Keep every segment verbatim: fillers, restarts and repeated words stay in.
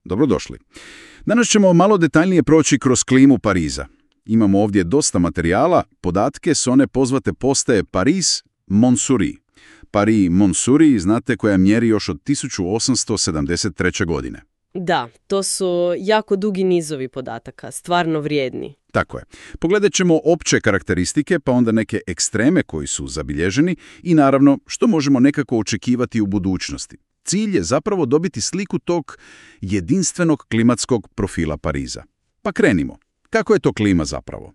Dobrodošli. Danas ćemo malo detaljnije proći kroz klimu Pariza. Imamo ovdje dosta materijala, podatke s one pozvate postaje Paris-Montsouris. Paris-Montsouris, znate, koja mjeri još od tisuću osamsto sedamdeset treće. godine. Da, to su jako dugi nizovi podataka, stvarno vrijedni. Tako je. Pogledat ćemo opće karakteristike, pa onda neke ekstreme koji su zabilježeni i naravno što možemo nekako očekivati u budućnosti. Cilj je zapravo dobiti sliku tog jedinstvenog klimatskog profila Pariza. Pa krenimo. Kako je to klima zapravo?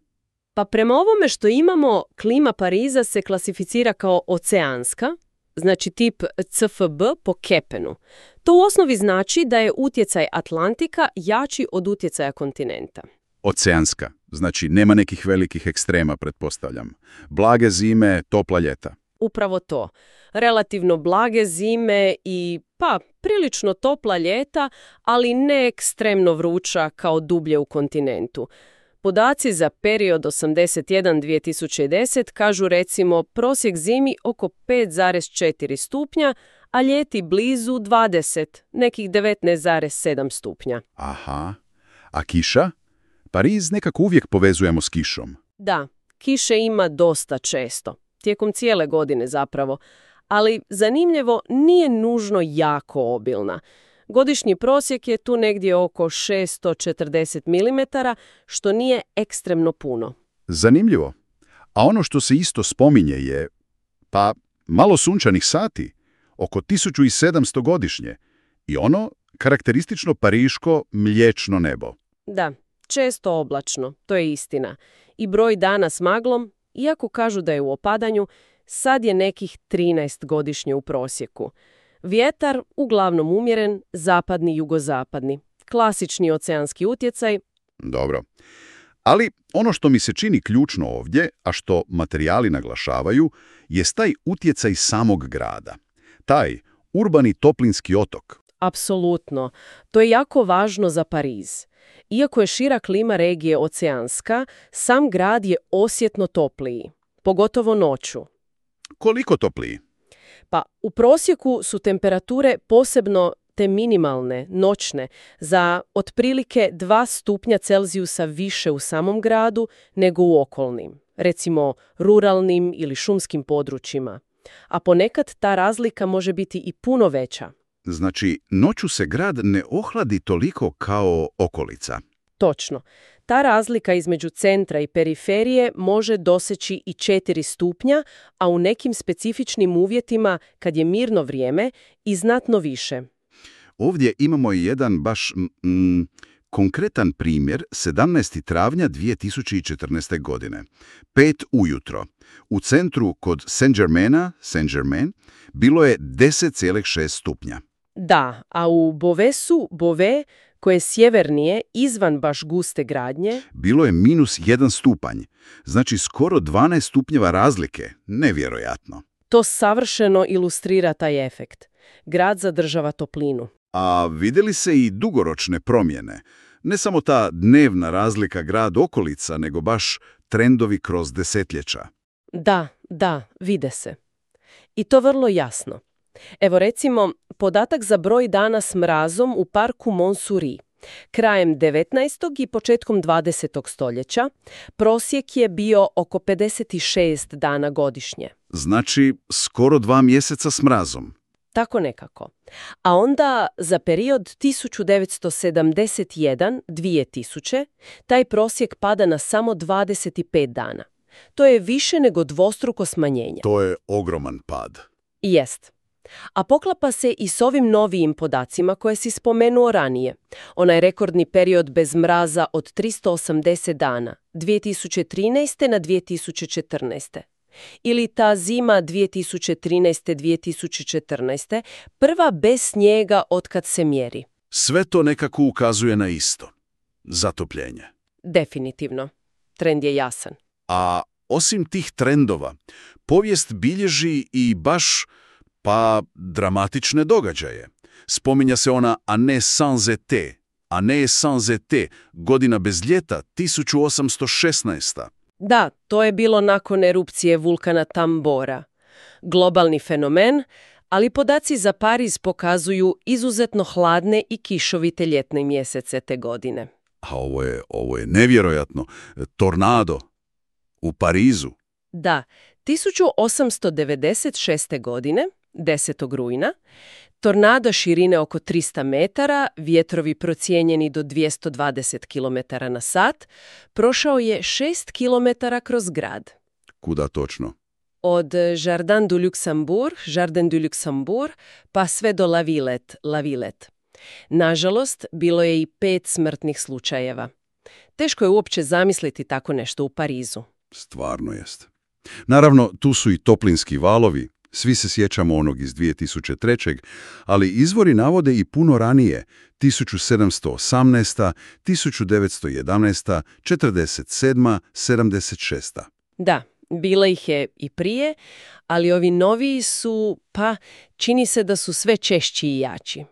Pa prema ovome što imamo, klima Pariza se klasificira kao oceanska, znači tip C F B po Kepenu. To u osnovi znači da je utjecaj Atlantika jači od utjecaja kontinenta. Oceanska, znači nema nekih velikih ekstrema, pretpostavljam. Blage zime, topla ljeta. Upravo to. Relativno blage zime i, pa, prilično topla ljeta, ali ne ekstremno vruća kao dublje u kontinentu. Podaci za period osamdeset jedan do dvije tisuće deset kažu recimo prosjek zimi oko pet zarez četiri stupnja, a ljeti blizu dvadeset, nekih devetnaest zarez sedam stupnja. Aha. A kiša? Pariz nekako uvijek povezujemo s kišom. Da, kiše ima dosta često. Tijekom cijele godine zapravo, ali zanimljivo nije nužno jako obilna. Godišnji prosjek je tu negdje oko šesto četrdeset milimetara, što nije ekstremno puno. Zanimljivo. A ono što se isto spominje je, pa, malo sunčanih sati, oko tisuću sedamsto godišnje, i ono karakteristično pariško mliječno nebo. Da, često oblačno, to je istina. I broj dana s maglom, iako kažu da je u opadanju, sad je nekih trinaest godišnje u prosjeku. Vjetar uglavnom umjeren, zapadni, jugozapadni. Klasični oceanski utjecaj. Dobro. Ali ono što mi se čini ključno ovdje, a što materijali naglašavaju, je taj utjecaj samog grada. Taj urbani toplinski otok. Apsolutno. To je jako važno za Pariz. Iako je šira klima regije oceanska, sam grad je osjetno topliji, pogotovo noću. Koliko topliji? Pa u prosjeku su temperature, posebno te minimalne, noćne, za otprilike dva stupnja Celzijusa više u samom gradu nego u okolnim, recimo ruralnim ili šumskim područjima. A ponekad ta razlika može biti i puno veća. Znači, noću se grad ne ohladi toliko kao okolica. Točno. Ta razlika između centra i periferije može doseći i četiri stupnja, a u nekim specifičnim uvjetima, kad je mirno vrijeme, i znatno više. Ovdje imamo i jedan baš mm, konkretan primjer sedamnaestog travnja dvije tisuće četrnaeste. godine. Pet ujutro. U centru kod Saint-Germaina, Saint-Germain, bilo je deset zarez šest stupnja. Da, a u Beauvaisu, Beauvais, koje je sjevernije, izvan baš guste gradnje, bilo je minus jedan stupanj. Znači skoro dvanaest stupnjeva razlike. Nevjerojatno. To savršeno ilustrira taj efekt. Grad zadržava toplinu. A vidjeli se i dugoročne promjene. Ne samo ta dnevna razlika grad-okolica, nego baš trendovi kroz desetljeća. Da, da, vide se. I to vrlo jasno. Evo recimo, podatak za broj dana s mrazom u parku Montsouris. Krajem devetnaestog i početkom dvadesetog stoljeća prosjek je bio oko pedeset šest dana godišnje. Znači, skoro dva mjeseca s mrazom. Tako nekako. A onda za period tisuću devetsto sedamdeset jedan do dvije tisuće taj prosjek pada na samo dvadeset pet dana. To je više nego dvostruko smanjenje. To je ogroman pad. Jest. A poklapa se i s ovim novijim podacima koje si spomenuo ranije. Onaj rekordni period bez mraza od tristo osamdeset dana, dvije tisuće trinaeste na dvije tisuće četrnaeste. Ili ta zima dvije tisuće trinaeste do dvije tisuće četrnaeste, prva bez snijega otkad se mjeri. Sve to nekako ukazuje na isto. Zatopljenje. Definitivno. Trend je jasan. A osim tih trendova, povijest bilježi i baš, pa, dramatične događaje. Spominja se ona Année sans été, Année sans été, godina bez ljeta, tisuću osamsto šesnaesta. Da, to je bilo nakon erupcije vulkana Tambora. Globalni fenomen, Ali podaci za Pariz pokazuju izuzetno hladne i kišovite ljetne mjesece te godine. A ovo je, ovo je nevjerojatno. Tornado u Parizu. Da, tisuću osamsto devedeset šeste. godine, desetog rujna, tornado širine oko trista metara, vjetrovi procijenjeni do dvjesto dvadeset kilometara na sat, prošao je šest kilometara kroz grad. Kuda točno? Od Jardin du Luxembourg, Jardin du Luxembourg, pa sve do La Villette, La Villette. Nažalost, bilo je i pet smrtnih slučajeva. Teško je uopće zamisliti tako nešto u Parizu. Stvarno jest. Naravno, tu su i toplinski valovi. Svi se sjećamo onog iz dvije tisuće treće. ali izvori navode i puno ranije, tisuću sedamsto osamnaeste. tisuću devetsto jedanaeste. četrdeset sedme. sedamdeset šeste. Da, bilo ih je i prije, ali ovi noviji su, pa, čini se da su sve češći i jači.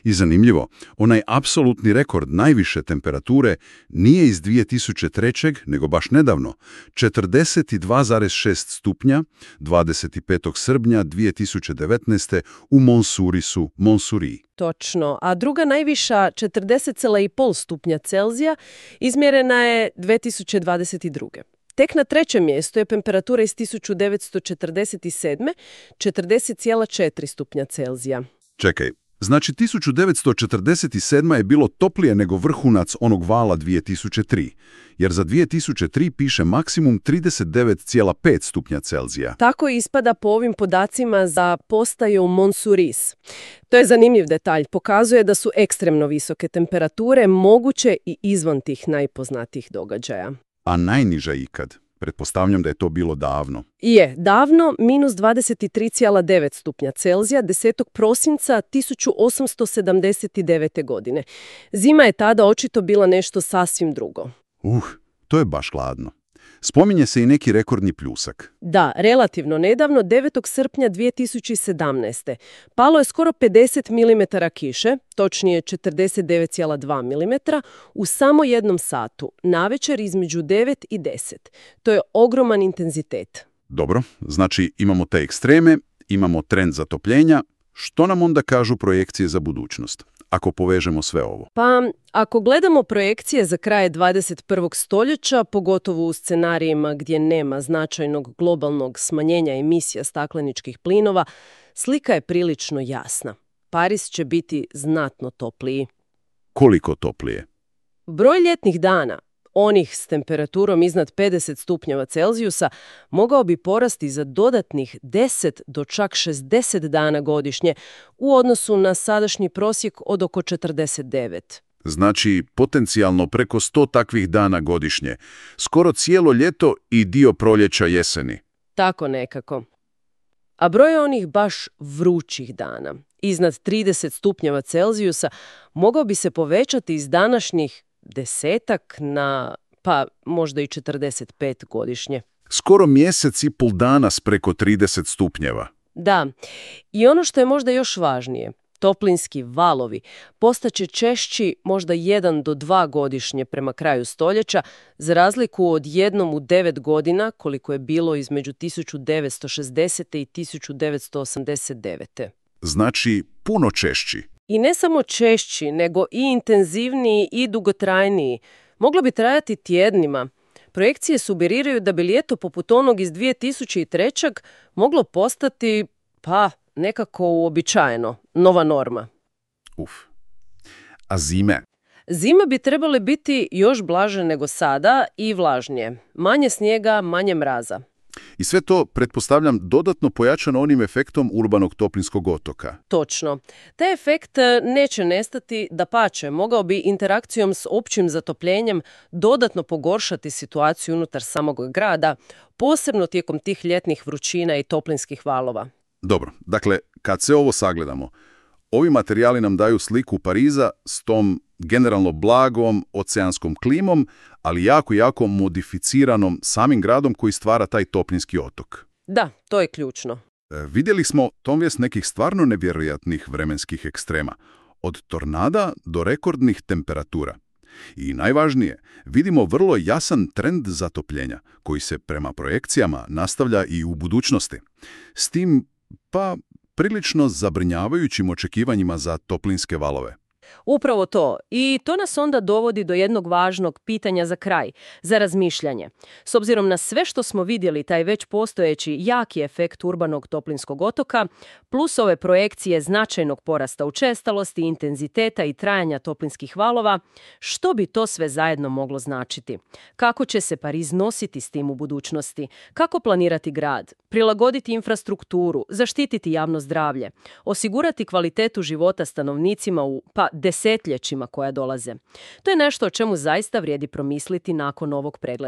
I zanimljivo, onaj apsolutni rekord najviše temperature nije iz dvije tisuće treće. nego baš nedavno, četrdeset dva zarez šest stupnja, dvadeset petog srpnja dvije tisuće devetnaeste. u Montsurisu, Montsuri. Točno, a druga najviša četrdeset zarez pet stupnja Celzija izmjerena je dvije tisuće dvadeset druge. Tek na trećem mjestu je temperatura iz tisuću devetsto četrdeset sedme. četrdeset zarez četiri stupnja Celzija. Čekaj. Znači, tisuću devetsto četrdeset sedme. je bilo toplije nego vrhunac onog vala dvije tisuće tri, jer za dvije tisuće tri piše maksimum trideset devet zarez pet stupnja Celzija. Tako ispada po ovim podacima za postaju Montsuris. To je zanimljiv detalj, pokazuje da su ekstremno visoke temperature moguće i izvan tih najpoznatijih događaja. A najniža ikad? Pretpostavljam da je to bilo davno. Je, davno, minus dvadeset tri zarez devet stupnja Celzija, desetog prosinca tisuću osamsto sedamdeset devete. godine. Zima je tada očito bila nešto sasvim drugo. Uh, to je baš hladno. Spominje se i neki rekordni pljusak. Da, relativno nedavno, devetog srpnja dvije tisuće sedamnaeste. Palo je skoro pedeset milimetara kiše, točnije četrdeset devet zarez dva milimetra, u samo jednom satu, navečer između devet i deset. To je ogroman intenzitet. Dobro, znači imamo te ekstreme, imamo trend zatopljenja. Što nam onda kažu projekcije za budućnost, ako povežemo sve ovo? Pa, ako gledamo projekcije za kraj dvadeset prvog stoljeća, pogotovo u scenarijima gdje nema značajnog globalnog smanjenja emisija stakleničkih plinova, slika je prilično jasna. Pariz će biti znatno topliji. Koliko toplije? Broj ljetnih dana, onih s temperaturom iznad pedeset stupnjeva Celzijusa, mogao bi porasti za dodatnih deset do čak šezdeset dana godišnje u odnosu na sadašnji prosjek od oko četrdeset devet. Znači, potencijalno preko sto takvih dana godišnje. Skoro cijelo ljeto i dio proljeća jeseni. Tako nekako. A broj onih baš vrućih dana, iznad trideset stupnjeva Celzijusa, mogao bi se povećati iz današnjih desetak na, pa možda i četrdeset pet godišnje. Skoro mjesec i pol dana s preko trideset stupnjeva. Da, i ono što je možda još važnije, toplinski valovi postaće češći možda jedan do dva godišnje prema kraju stoljeća, za razliku od jednom u devet godina koliko je bilo između tisuću devetsto šezdesete. i tisuću devetsto osamdeset devete. Znači, puno češći. I ne samo češći, nego i intenzivniji i dugotrajniji. Moglo bi trajati tjednima. Projekcije sugeriraju da bi ljeto poput onog iz dvije tisuće treće. moglo postati, pa, nekako uobičajeno, nova norma. Uf. A zime? Zime bi trebale biti još blaže nego sada i vlažnije. Manje snijega, manje mraza. I sve to, pretpostavljam, dodatno pojačano onim efektom urbanog toplinskog otoka. Točno. Taj efekt neće nestati, dapače, mogao bi interakcijom s općim zatopljenjem dodatno pogoršati situaciju unutar samog grada, posebno tijekom tih ljetnih vrućina i toplinskih valova. Dobro, dakle, kad se ovo sagledamo, ovi materijali nam daju sliku Pariza s tom generalno blagom oceanskom klimom, ali jako, jako modificiranom samim gradom koji stvara taj toplinski otok. Da, to je ključno. E, vidjeli smo tomvjes nekih stvarno nevjerojatnih vremenskih ekstrema, od tornada do rekordnih temperatura. I najvažnije, vidimo vrlo jasan trend zatopljenja, koji se prema projekcijama nastavlja i u budućnosti. S tim, pa, prilično zabrinjavajućim očekivanjima za toplinske valove. Upravo to. I to nas onda dovodi do jednog važnog pitanja za kraj, za razmišljanje. S obzirom na sve što smo vidjeli, taj već postojeći jaki efekt urbanog toplinskog otoka, plus ove projekcije značajnog porasta učestalosti, intenziteta i trajanja toplinskih valova, što bi to sve zajedno moglo značiti? Kako će se Pariz nositi s tim u budućnosti? Kako planirati grad? Prilagoditi infrastrukturu, zaštititi javno zdravlje, osigurati kvalitetu života stanovnicima u, pa, desetljećima koja dolaze. To je nešto o čemu zaista vrijedi promisliti nakon ovog pregleda.